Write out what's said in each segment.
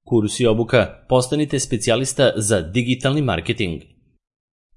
Kurs i obuka, postanite specijalista za digitalni marketing.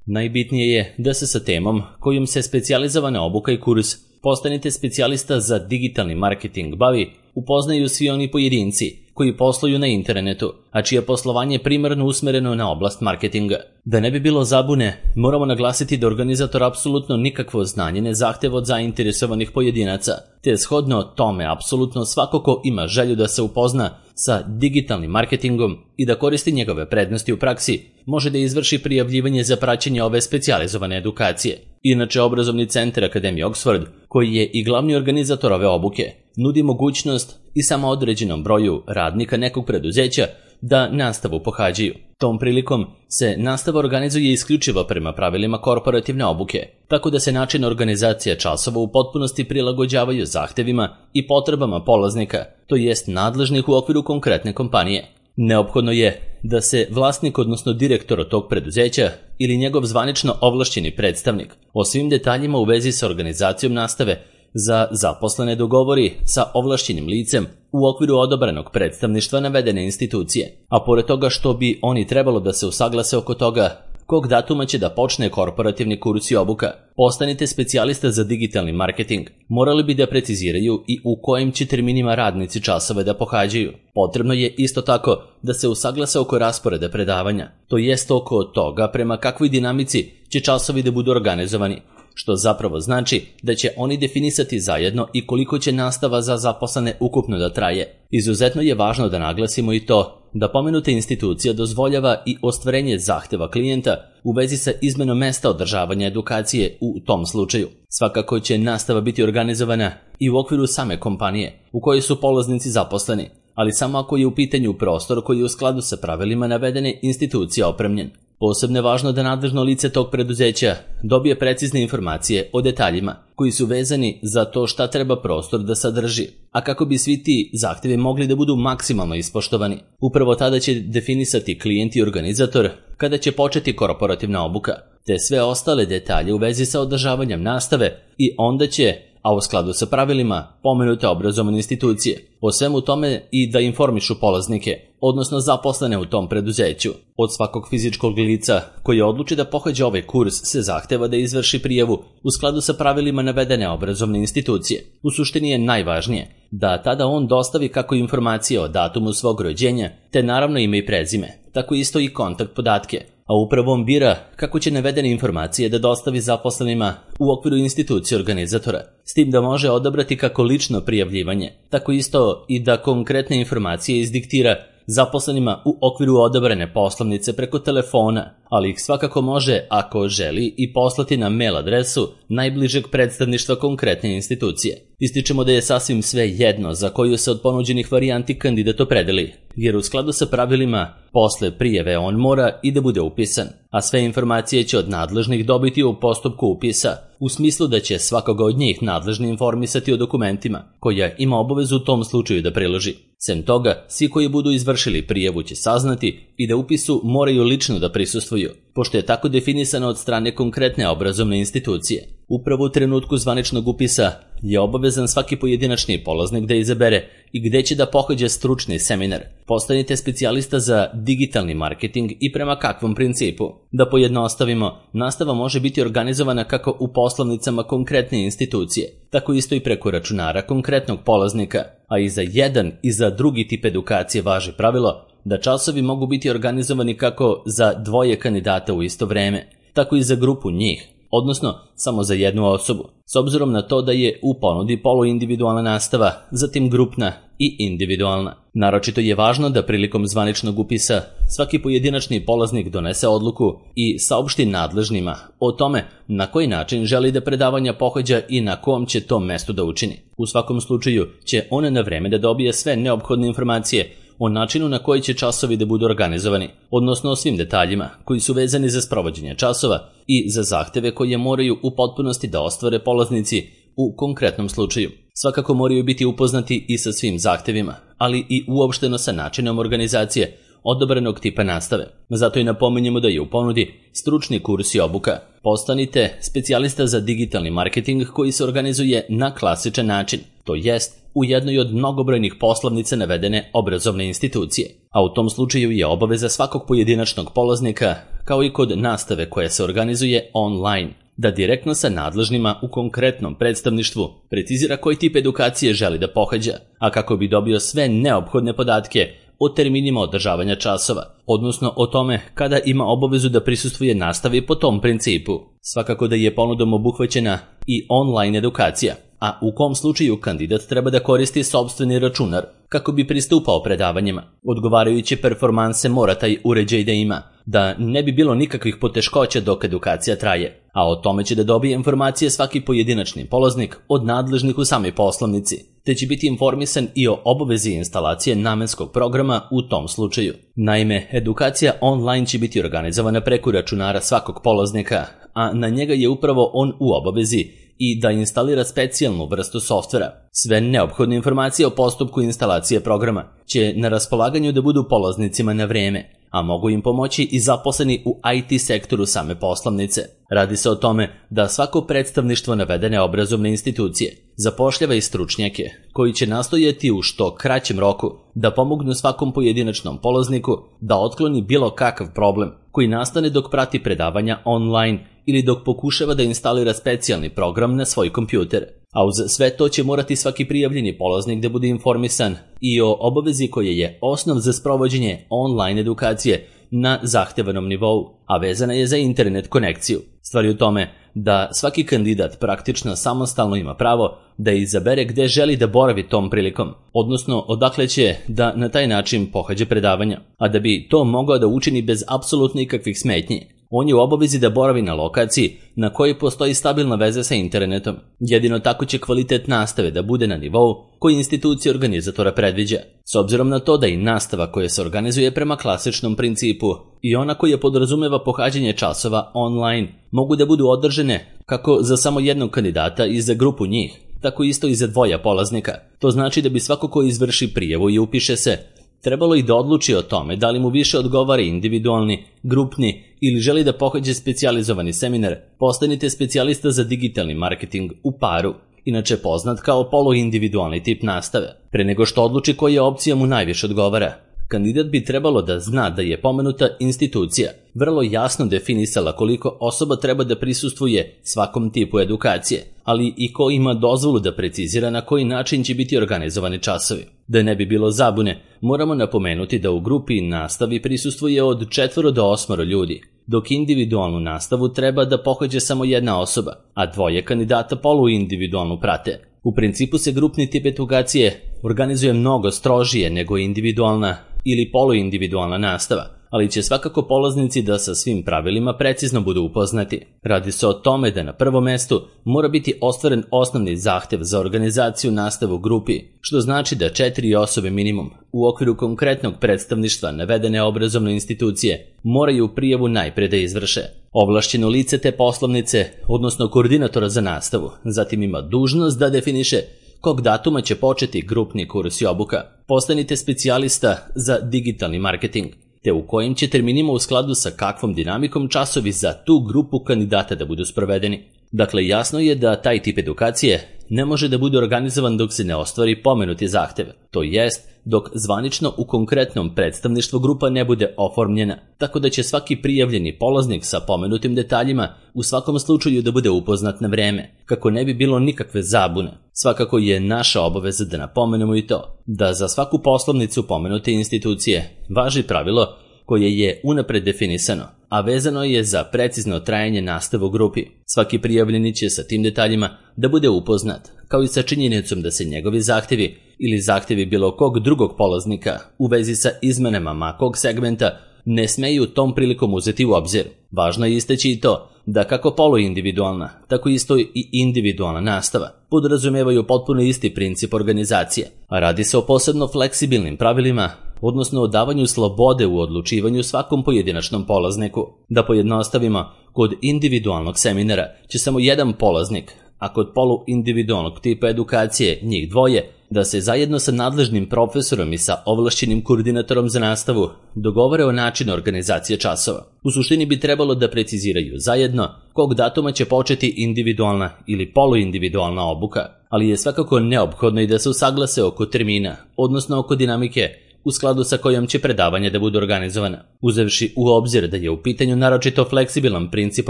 Najbitnije je da se sa temom kojom se specijalizovana obuka i kurs postanite specijalista za digitalni marketing bavi upoznaju svi oni pojedinci koji posluju na internetu, a čije poslovanje je primarno usmereno na oblast marketinga. Da ne bi bilo zabune, moramo naglasiti da organizator apsolutno nikakvo znanje ne zahteva od zainteresovanih pojedinaca, te shodno tome apsolutno svako ko ima želju da se upozna sa digitalnim marketingom i da koristi njegove prednosti u praksi, može da izvrši prijavljivanje za praćenje ove specijalizovane edukacije. Inače, obrazovni centar Akademije Oxford, koji je i glavni organizator ove obuke, nudi mogućnost i samo određenom broju radnika nekog preduzeća da nastavu pohađaju. Tom prilikom se nastava organizuje isključivo prema pravilima korporativne obuke, tako da se način organizacije časova u potpunosti prilagođavaju zahtevima i potrebama polaznika, to jest nadležnih u okviru konkretne kompanije. Neophodno je da se vlasnik, odnosno direktor tog preduzeća ili njegov zvanično ovlašćeni predstavnik o svim detaljima u vezi sa organizacijom nastave za zaposlene dogovori sa ovlašćenim licem u okviru odobrenog predstavništva navedene institucije, a pored toga što bi oni trebalo da se usaglase oko toga kog datuma će da počne korporativni kurs i obuka. Postanite specijalista za digitalni marketing. Morali bi da preciziraju i u kojim će terminima radnici časove da pohađaju. Potrebno je isto tako da se usaglase oko rasporeda predavanja, to jest oko toga prema kakvoj dinamici će časovi da budu organizovani, što zapravo znači da će oni definisati zajedno i koliko će nastava za zaposlene ukupno da traje. Izuzetno je važno da naglasimo i to da pomenuta institucija dozvoljava i ostvarenje zahteva klijenta u vezi sa izmenom mesta održavanja edukacije u tom slučaju. Svakako će nastava biti organizovana i u okviru same kompanije u kojoj su polaznici zaposleni, ali samo ako je u pitanju prostor koji je u skladu sa pravilima navedene institucije opremljen. Posebno je važno da nadležno lice tog preduzeća dobije precizne informacije o detaljima koji su vezani za to šta treba prostor da sadrži, a kako bi svi ti zahtevi mogli da budu maksimalno ispoštovani. Upravo tada će definisati klijent i organizator kada će početi korporativna obuka, te sve ostale detalje u vezi sa održavanjem nastave i onda će, a u skladu sa pravilima pomenute obrazovne institucije, o svemu tome i da informišu polaznike, odnosno zaposlene u tom preduzeću. Od svakog fizičkog lica koji odluči da pohađa ovaj kurs se zahteva da izvrši prijavu u skladu sa pravilima navedene obrazovne institucije. U suštini je najvažnije da tada on dostavi kako informacije o datumu svog rođenja, te naravno ime i prezime, tako isto i kontakt podatke, a upravo on bira kako će navedene informacije da dostavi zaposlenima u okviru institucije organizatora, s tim da može odabrati kako lično prijavljivanje, tako isto i da konkretne informacije izdiktira zaposlenima u okviru odabrane poslovnice preko telefona, ali ih svakako može, ako želi, i poslati na mail adresu najbližeg predstavništva konkretne institucije. Ističemo da je sasvim sve jedno za koju se od ponuđenih varijanti kandidat opredeli, jer u skladu sa pravilima posle prijave on mora i da bude upisan, a sve informacije će od nadležnih dobiti u postupku upisa, u smislu da će svakoga od njih nadležni informisati o dokumentima koja ima obavezu u tom slučaju da priloži. Sem toga, svi koji budu izvršili prijavu će saznati i da upisu moraju lično da prisustvuju, pošto je tako definisano od strane konkretne obrazovne institucije. Upravo u trenutku zvaničnog upisa je obavezan svaki pojedinačni polaznik da izabere i gde će da pohađa stručni seminar. Postanite specijalista za digitalni marketing i prema kakvom principu. Da pojednostavimo, nastava može biti organizovana kako u poslovnicama konkretne institucije, tako isto i preko računara konkretnog polaznika, a i za jedan i za drugi tip edukacije važi pravilo da časovi mogu biti organizovani kako za dvoje kandidata u isto vreme, tako i za grupu njih, odnosno samo za jednu osobu, s obzirom na to da je u ponudi poluindividualna nastava, zatim grupna i individualna. Naročito je važno da prilikom zvaničnog upisa svaki pojedinačni polaznik donese odluku i saopšti nadležnima o tome na koji način želi da predavanja pohađa i na kom će to mestu da učini. U svakom slučaju će on na vreme da dobije sve neophodne informacije o načinu na koji će časovi da budu organizovani, odnosno o svim detaljima koji su vezani za sprovođenje časova i za zahteve koje moraju u potpunosti da ostvare polaznici u konkretnom slučaju. Svakako moraju biti upoznati i sa svim zahtevima, ali i uopšteno sa načinom organizacije odobrenog tipa nastave. Zato i napominjemo da je u ponudi stručni kurs i obuka. Postanite specijalista za digitalni marketing koji se organizuje na klasičan način, to jest u jednoj od mnogobrojnih poslovnica navedene obrazovne institucije, a u tom slučaju je obaveza svakog pojedinačnog polaznika, kao i kod nastave koja se organizuje online, da direktno sa nadležnima u konkretnom predstavništvu precizira koji tip edukacije želi da pohađa, a kako bi dobio sve neophodne podatke o terminima održavanja časova, odnosno o tome kada ima obavezu da prisustvuje nastavi po tom principu. Svakako da je ponudom obuhvaćena i online edukacija, a u kom slučaju kandidat treba da koristi sopstveni računar kako bi pristupao predavanjima. Odgovarajuće performanse mora taj uređaj da ima, da ne bi bilo nikakvih poteškoća dok edukacija traje, a o tome će da dobije informacije svaki pojedinačni polaznik od nadležnih u samoj poslovnici, te će biti informisan i o obavezi instalacije namenskog programa u tom slučaju. Naime, edukacija online će biti organizovana preko računara svakog polaznika, a na njega je upravo on u obavezi i da instalira specijalnu vrstu softvera. Sve neophodne informacije o postupku instalacije programa će na raspolaganju da budu polaznicima na vreme, a mogu im pomoći i zaposleni u IT sektoru same poslovnice. Radi se o tome da svako predstavništvo navedene obrazovne institucije zapošljava i stručnjake koji će nastojati u što kraćem roku da pomognu svakom pojedinačnom polazniku da otkloni bilo kakav problem koji nastane dok prati predavanja online ili dok pokušava da instalira specijalni program na svoj kompjuter. A uz sve to će morati svaki prijavljeni polaznik da bude informisan i o obavezi koja je osnov za sprovođenje online edukacije na zahtevanom nivou, a vezana je za internet konekciju. Stvar je u tome da svaki kandidat praktično samostalno ima pravo da izabere gde želi da boravi tom prilikom, odnosno odakle će da na taj način pohađa predavanja, a da bi to mogao da učini bez apsolutno ikakvih smetnji. On je u obavezi da boravi na lokaciji na kojoj postoji stabilna veza sa internetom. Jedino tako će kvalitet nastave da bude na nivou koji institucija organizatora predviđa. S obzirom na to da i nastava koja se organizuje prema klasičnom principu i ona koja podrazumeva pohađanje časova online mogu da budu održane kako za samo jednog kandidata i za grupu njih, tako isto i za dvoja polaznika. To znači da bi svako ko izvrši prijavu i upiše se trebalo i da odluči o tome da li mu više odgovara individualni, grupni ili želi da pohađe specijalizovani seminar. Postanite specijalista za digitalni marketing u paru, inače poznat kao poluindividualni tip nastave. Pre nego što odluči koja opcija mu najviše odgovara, kandidat bi trebalo da zna da je pomenuta institucija vrlo jasno definisala koliko osoba treba da prisustvuje svakom tipu edukacije, ali i ko ima dozvolu da precizira na koji način će biti organizovani časovi. Da ne bi bilo zabune, moramo napomenuti da u grupi nastavi prisustvuje od 4 do 8 ljudi, dok individualnu nastavu treba da pohađa samo jedna osoba, a dvoje kandidata poluindividualnu prate. U principu se grupni tip edukacije organizuje mnogo strožije nego individualna ili poluindividualna nastava, ali će svakako polaznici da sa svim pravilima precizno budu upoznati. Radi se o tome da na prvom mestu mora biti ostvaren osnovni zahtev za organizaciju nastave u grupi, što znači da 4 osobe minimum u okviru konkretnog predstavništva navedene obrazovne institucije moraju prijavu najpre da izvrše. Ovlašćeno lice te poslovnice, odnosno koordinatora za nastavu, zatim ima dužnost da definiše kog datuma će početi grupni kurs i obuka. Postanite specijalista za digitalni marketing, te u kojim će terminima u skladu sa kakvom dinamikom časovi za tu grupu kandidata da budu sprovedeni. Dakle, jasno je da taj tip edukacije ne može da bude organizovan dok se ne ostvari pomenuti zahtev, to jest dok zvanično u konkretnom predstavništvu grupa ne bude oformljena, tako da će svaki prijavljeni polaznik sa pomenutim detaljima u svakom slučaju da bude upoznat na vreme, kako ne bi bilo nikakve zabune. Svakako je naša obaveza da napomenemo i to, da za svaku poslovnicu pomenute institucije važi pravilo koje je unapred definisano, a vezano je za precizno trajanje nastave u grupi. Svaki prijavljeni će sa tim detaljima da bude upoznat, kao i sa činjenicom da se njegovi zahtevi ili zahtevi bilo kog drugog polaznika u vezi sa izmenama makog segmenta ne smeju tom prilikom uzeti u obzir. Važno je istaći i to da kako poluindividualna, tako isto i individualna nastava podrazumevaju potpuno isti princip organizacije, a radi se o posebno fleksibilnim pravilima, odnosno o davanju slobode u odlučivanju svakom pojedinačnom polazniku. Da pojednostavimo, kod individualnog seminara će samo jedan polaznik a kod poluindividualnog tipa edukacije njih dvoje, da se zajedno sa nadležnim profesorom i sa ovlašćenim koordinatorom za nastavu dogovore o načinu organizacije časova. U suštini bi trebalo da preciziraju zajedno kog datuma će početi individualna ili poluindividualna obuka, ali je svakako neophodno i da se usaglase oko termina, odnosno oko dinamike u skladu sa kojom će predavanja da budu organizovana, uzevši u obzir da je u pitanju naročito fleksibilan princip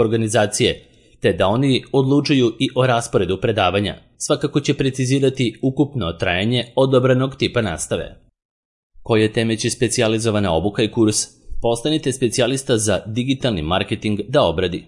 organizacije, te da oni odlučuju i o rasporedu predavanja. Svakako će precizirati ukupno trajanje odabranog tipa nastave. Koje teme će specijalizovana obuka i kurs Postanite specijalista za digitalni marketing da obradi?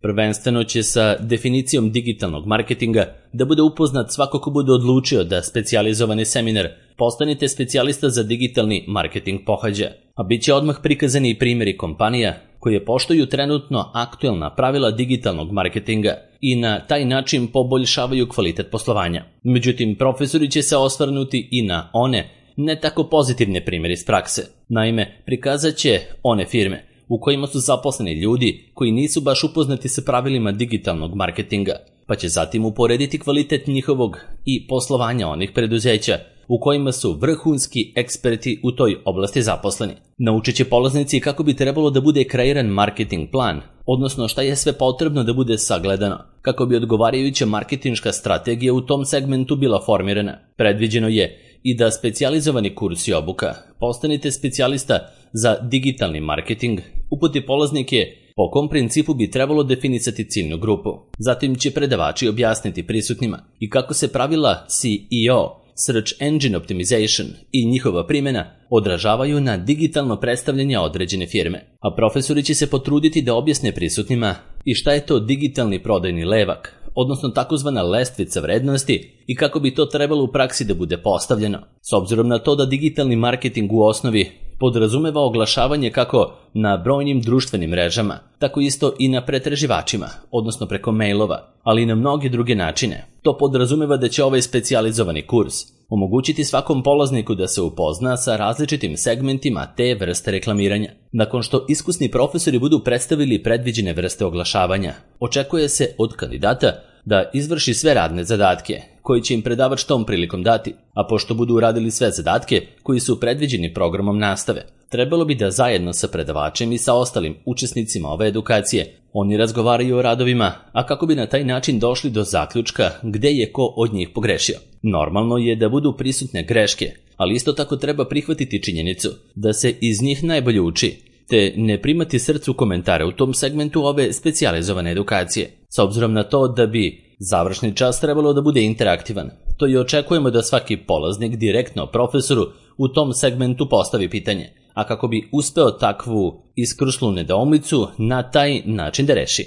Prvenstveno će sa definicijom digitalnog marketinga da bude upoznat svako ko bude odlučio da specijalizovani seminar Postanite specijalista za digitalni marketing pohađa, a bit će odmah prikazani i primjeri kompanija koje poštuju trenutno aktuelna pravila digitalnog marketinga i na taj način poboljšavaju kvalitet poslovanja. Međutim, profesori će se osvrnuti i na one ne tako pozitivne primjere iz prakse. Naime, prikazat će one firme u kojima su zaposleni ljudi koji nisu baš upoznati sa pravilima digitalnog marketinga, pa će zatim uporediti kvalitet njihovog i poslovanja onih preduzeća u kojima su vrhunski eksperti u toj oblasti zaposleni. Naučit će polaznici kako bi trebalo da bude kreiran marketing plan, odnosno šta je sve potrebno da bude sagledano, kako bi odgovarajuća marketinška strategija u tom segmentu bila formirana. Predviđeno je i da specijalizovani kurs i obuka Postanite specijalista za digitalni marketing uputi polaznike po kom principu bi trebalo definisati ciljnu grupu. Zatim će predavači objasniti prisutnima i kako se pravila SEO, Search Engine Optimization i njihova primjena odražavaju na digitalno predstavljanje određene firme, a profesori će se potruditi da objasne prisutnima i šta je to digitalni prodajni levak, odnosno takozvana lestvica vrednosti i kako bi to trebalo u praksi da bude postavljeno. S obzirom na to da digitalni marketing u osnovi podrazumeva oglašavanje kako na brojnim društvenim mrežama, tako isto i na pretraživačima, odnosno preko mailova, ali i na mnoge druge načine. To podrazumeva da će ovaj specijalizovani kurs omogućiti svakom polazniku da se upozna sa različitim segmentima te vrste reklamiranja. Nakon što iskusni profesori budu predstavili predviđene vrste oglašavanja, očekuje se od kandidata da izvrši sve radne zadatke koji će im predavač tom prilikom dati, a pošto budu uradili sve zadatke koji su predviđeni programom nastave, trebalo bi da zajedno sa predavačem i sa ostalim učesnicima ove edukacije oni razgovaraju o radovima, a kako bi na taj način došli do zaključka gde je ko od njih pogrešio. Normalno je da budu prisutne greške, ali isto tako treba prihvatiti činjenicu da se iz njih najbolje uči, te ne primati srcu komentare u tom segmentu ove specijalizovane edukacije, s obzirom na to da bi završni čas trebalo da bude interaktivan. To i očekujemo da svaki polaznik direktno profesoru u tom segmentu postavi pitanje, a kako bi uspeo takvu iskrslu nedoumicu na taj način da reši.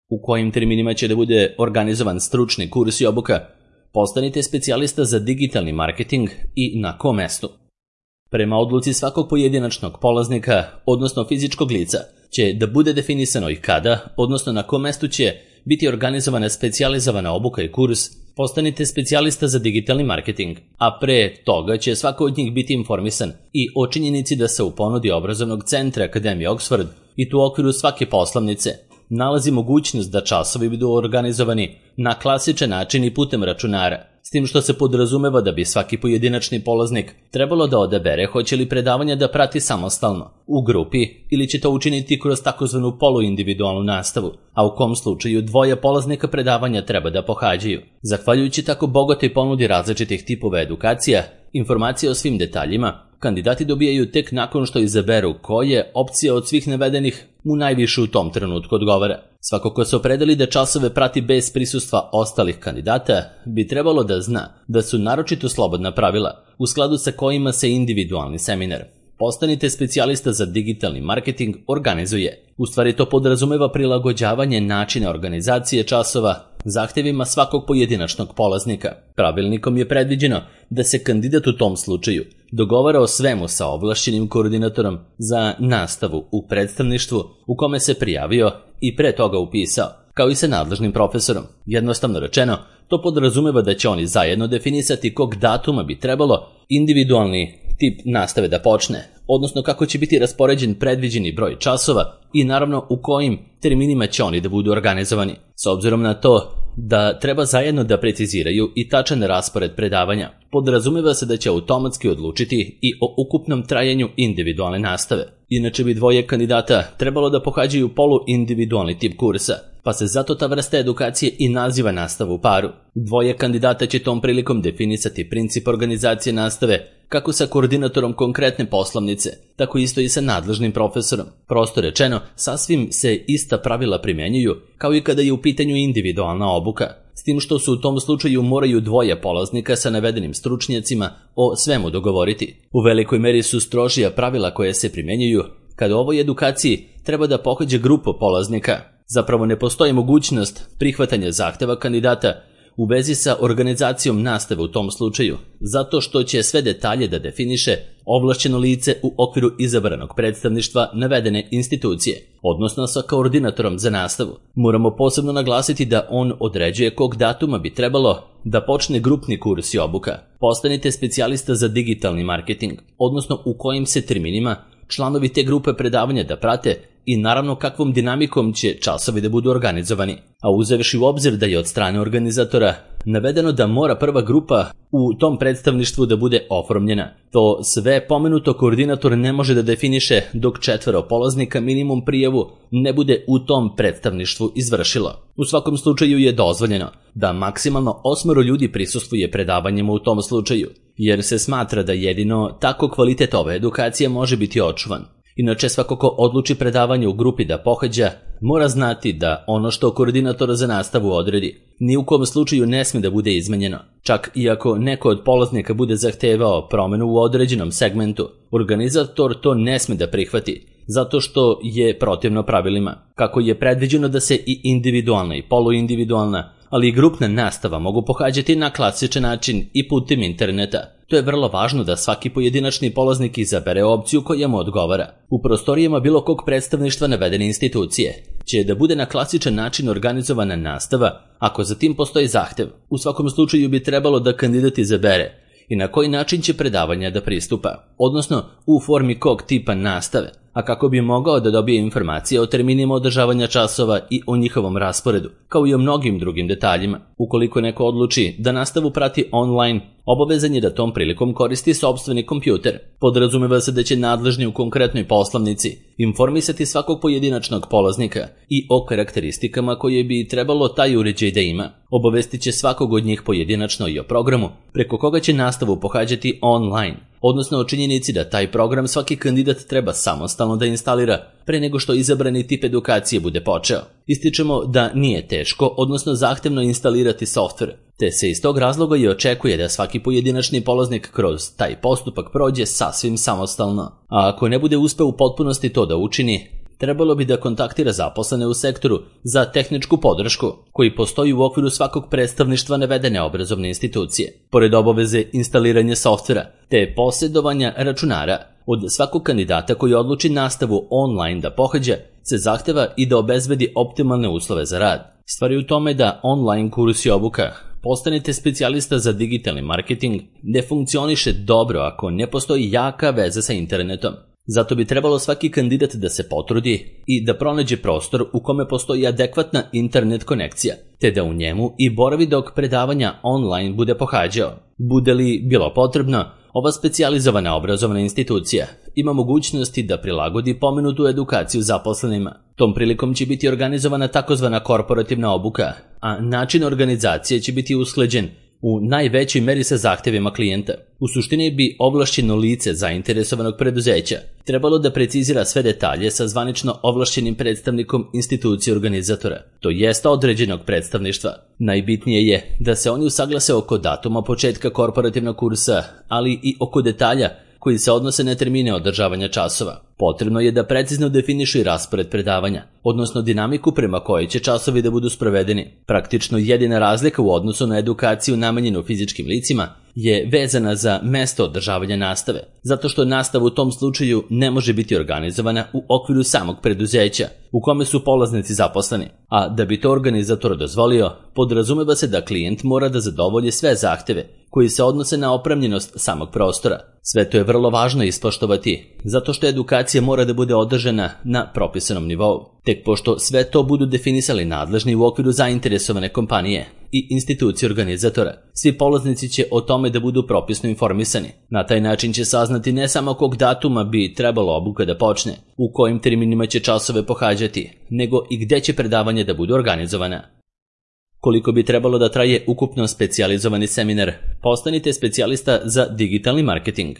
U kojim terminima će da bude organizovan stručni kurs i obuka? Postanite specijalista za digitalni marketing i na kom mestu? Prema odluci svakog pojedinačnog polaznika, odnosno fizičkog lica, će da bude definisano i kada, odnosno na kom mestu će biti organizovana specijalizovana obuka i kurs Postanite specijalista za digitalni marketing, a pre toga će svako od njih biti informisan i o činjenici da se u ponudi obrazovnog centra Akademije Oxford i tu u okviru svake poslovnice nalazi mogućnost da časovi budu organizovani na klasičan način i putem računara, s tim što se podrazumeva da bi svaki pojedinačni polaznik trebalo da odabere hoće li predavanja da prati samostalno, u grupi ili će to učiniti kroz takozvanu poluindividualnu nastavu, a u kom slučaju dvoje polaznika predavanja treba da pohađaju. Zahvaljujući tako bogatoj ponudi različitih tipova edukacija, informacije o svim detaljima kandidati dobijaju tek nakon što izaberu koje opcija od svih navedenih mu najviše u tom trenutku odgovara. Svako ko se opredeli da časove prati bez prisustva ostalih kandidata bi trebalo da zna da su naročito slobodna pravila u skladu sa kojima se individualni seminar Postanite specijalista za digitalni marketing organizuje. U stvari to podrazumeva prilagođavanje načina organizacije časova zahtjevima svakog pojedinačnog polaznika. Pravilnikom je predviđeno da se kandidat u tom slučaju dogovara o svemu sa ovlašćenim koordinatorom za nastavu u predstavništvu u kome se prijavio i pre toga upisao, kao i sa nadležnim profesorom. Jednostavno rečeno, to podrazumeva da će oni zajedno definisati kog datuma bi trebalo individualni tip nastave da počne, odnosno kako će biti raspoređen predviđeni broj časova i naravno u kojim terminima će oni da budu organizovani. S obzirom na to da treba zajedno da preciziraju i tačan raspored predavanja. Podrazumeva se da će automatski odlučiti i o ukupnom trajanju individualne nastave. Inače bi dvoje kandidata trebalo da pohađaju poluindividualni tip kursa, pa se zato ta vrsta edukacije i naziva nastava u paru. Dvoje kandidata će tom prilikom definisati princip organizacije nastave, kako sa koordinatorom konkretne poslovnice, tako isto i sa nadležnim profesorom. Prosto rečeno, sasvim se ista pravila primenjuju, kao i kada je u pitanju individualna obuka, s tim što se u tom slučaju moraju dvoje polaznika sa navedenim stručnjacima o svemu dogovoriti. U velikoj meri su strožija pravila koje se primenjuju kada u ovoj edukaciji treba da pohađa grupa polaznika. Zapravo ne postoji mogućnost prihvatanja zahteva kandidata u vezi sa organizacijom nastave u tom slučaju, zato što će sve detalje da definiše ovlašćeno lice u okviru izabranog predstavništva navedene institucije, odnosno sa koordinatorom za nastavu. Moramo posebno naglasiti da on određuje kog datuma bi trebalo da počne grupni kurs i obuka. Postanite specijalista za digitalni marketing, odnosno u kojim se terminima članovi te grupe predavanja da prate i naravno kakvom dinamikom će časovi da budu organizovani. A uzevši u obzir da je od strane organizatora navedeno da mora prva grupa u tom predstavništvu da bude oformljena. To sve pomenuto koordinator ne može da definiše dok 4 polaznika minimum prijavu ne bude u tom predstavništvu izvršilo. U svakom slučaju je dozvoljeno da maksimalno 8 ljudi prisustvuje predavanjima u tom slučaju, jer se smatra da jedino tako kvalitet ove edukacije može biti očuvan. Inače, svako ko odluči predavanje u grupi da pohađa, mora znati da ono što koordinator za nastavu odredi ni u kom slučaju ne sme da bude izmenjeno. Čak i ako neko od polaznika bude zahtevao promenu u određenom segmentu, organizator to ne sme da prihvati, zato što je protivno pravilima. Kako je predviđeno da se i individualna i poluindividualna, ali i grupna nastava mogu pohađati na klasičan način i putem interneta. To je vrlo važno da svaki pojedinačni polaznik izabere opciju koja mu odgovara. U prostorijama bilo kog predstavništva navedene institucije će da bude na klasičan način organizovana nastava ako za tim postoji zahtev. U svakom slučaju bi trebalo da kandidat izabere i na koji način će predavanja da pristupa, odnosno u formi kog tipa nastave, a kako bi mogao da dobije informacije o terminima održavanja časova i o njihovom rasporedu, kao i o mnogim drugim detaljima. Ukoliko neko odluči da nastavu prati online, obavezan je da tom prilikom koristi sopstveni kompjuter. Podrazumeva se da će nadležni u konkretnoj poslovnici informisati svakog pojedinačnog polaznika i o karakteristikama koje bi trebalo taj uređaj da ima. Obavestit će svakog od njih pojedinačno i o programu preko koga će nastavu pohađati online, odnosno o činjenici da taj program svaki kandidat treba samostalno da instalira pre nego što izabrani tip edukacije bude počeo. Ističemo da nije teško, odnosno zahtevno instalirati softver, te se iz tog razloga i očekuje da svaki pojedinačni polaznik kroz taj postupak prođe sasvim samostalno. A ako ne bude uspeo u potpunosti to da učini, trebalo bi da kontaktira zaposlene u sektoru za tehničku podršku, koji postoji u okviru svakog predstavništva navedene obrazovne institucije. Pored obaveze instaliranja softvera te posjedovanja računara, od svakog kandidata koji odluči nastavu online da pohađa, se zahteva i da obezbedi optimalne uslove za rad. Stvar je u tome da online kurs i obuka Postanite specijalista za digitalni marketing ne funkcioniše dobro ako ne postoji jaka veza sa internetom. Zato bi trebalo svaki kandidat da se potrudi i da pronađe prostor u kome postoji adekvatna internet konekcija, te da u njemu i boravi dok predavanja online bude pohađao. Bude li bilo potrebno, ova specijalizovana obrazovna institucija ima mogućnosti da prilagodi pomenutu edukaciju zaposlenima. Tom prilikom će biti organizovana takozvana korporativna obuka, a način organizacije će biti usklađen u najvećoj meri sa zahtevima klijenta. U suštini bi ovlašćeno lice zainteresovanog preduzeća trebalo da precizira sve detalje sa zvanično ovlašćenim predstavnikom institucije organizatora, to jest određenog predstavništva. Najbitnije je da se oni usaglase oko datuma početka korporativnog kursa, ali i oko detalja koji se odnose na termine održavanja časova. Potrebno je da precizno definišu i raspored predavanja, odnosno dinamiku prema kojoj će časovi da budu sprovedeni. Praktično jedina razlika u odnosu na edukaciju namenjenu fizičkim licima je vezana za mesto održavanja nastave, zato što nastava u tom slučaju ne može biti organizovana u okviru samog preduzeća u kome su polaznici zaposleni, a da bi to organizator dozvolio, podrazumeva se da klijent mora da zadovolji sve zahteve koji se odnose na opremljenost samog prostora. Sve to je vrlo važno ispoštovati, zato što edukacija mora da bude održana na propisanom nivou. Tek pošto sve to budu definisali nadležni u okviru zainteresovane kompanije i institucije organizatora, svi polaznici će o tome da budu propisno informisani. Na taj način će saznati ne samo kog datuma bi trebalo obuka da počne, u kojim terminima će časove pohađati, nego i gde će predavanje da budu organizovana. Koliko bi trebalo da traje ukupno specijalizovani seminar, postanite specijalista za digitalni marketing.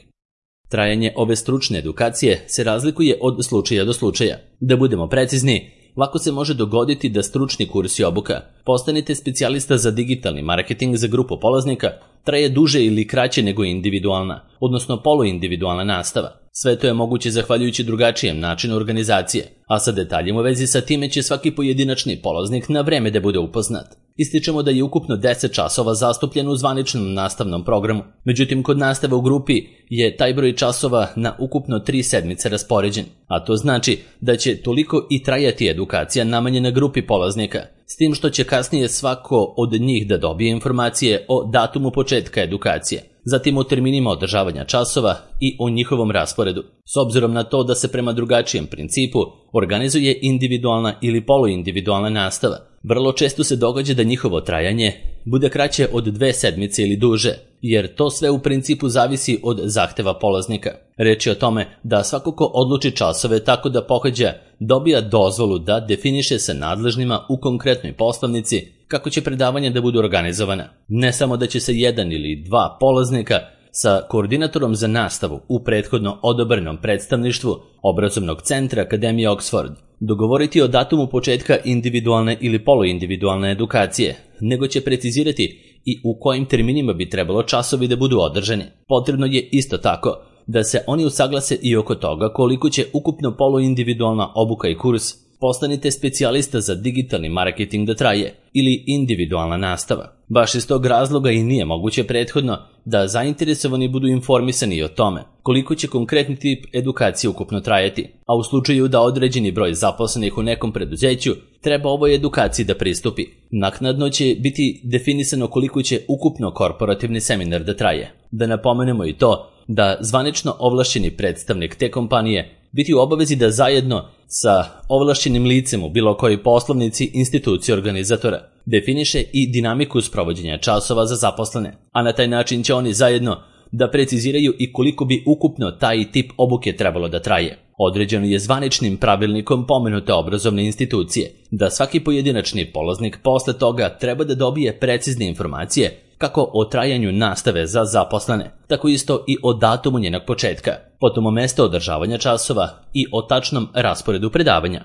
Trajanje ove stručne edukacije se razlikuje od slučaja do slučaja. Da budemo precizni, lako se može dogoditi da stručni kurs i obuka postanite specijalista za digitalni marketing za grupu polaznika traje duže ili kraće nego individualna, odnosno poluindividualna nastava. Sve to je moguće zahvaljujući drugačijem načinu organizacije, a sa detaljima u vezi sa time će svaki pojedinačni polaznik na vreme da bude upoznat. Ističemo da je ukupno 10 časova zastupljeno u zvaničnom nastavnom programu. Međutim, kod nastave u grupi je taj broj časova na ukupno 3 sedmice raspoređen, a to znači da će toliko i trajati edukacija namenjena grupi polaznika, s tim što će kasnije svako od njih da dobije informacije o datumu početka edukacije, zatim o terminima održavanja časova i o njihovom rasporedu. S obzirom na to da se prema drugačijem principu organizuje individualna ili poluindividualna nastava, vrlo često se događa da njihovo trajanje bude kraće od 2 sedmice ili duže, jer to sve u principu zavisi od zahteva polaznika. Reč je o tome da svako ko odluči časove tako da pohađa dobija dozvolu da definiše sa nadležnima u konkretnoj poslovnici kako će predavanja da budu organizovana. Ne samo da će se 1 ili 2 polaznika sa koordinatorom za nastavu u prethodno odobrenom predstavništvu obrazovnog centra Akademije Oxford dogovoriti o datumu početka individualne ili poluindividualne edukacije, nego će precizirati i u kojim terminima bi trebalo časovi da budu održani. Potrebno je isto tako da se oni usaglase i oko toga koliko će ukupno poluindividualna obuka i kurs postanite specijalista za digitalni marketing da traje ili individualna nastava. Baš iz tog razloga i nije moguće prethodno da zainteresovani budu informisani o tome koliko će konkretni tip edukacije ukupno trajati, a u slučaju da određeni broj zaposlenih u nekom preduzeću treba ovoj edukaciji da pristupi. Naknadno će biti definisano koliko će ukupno korporativni seminar da traje. Da napomenemo i to da zvanično ovlašćeni predstavnik te kompanije biti u obavezi da zajedno sa ovlašćenim licem u bilo kojoj poslovnici institucije organizatora definiše i dinamiku sprovođenja časova za zaposlene, a na taj način će oni zajedno da preciziraju i koliko bi ukupno taj tip obuke trebalo da traje. Određeno je zvaničnim pravilnikom pomenute obrazovne institucije da svaki pojedinačni polaznik posle toga treba da dobije precizne informacije kako o trajanju nastave za zaposlene, tako isto i o datumu njenog početka, potom o mesto održavanja časova i o tačnom rasporedu predavanja.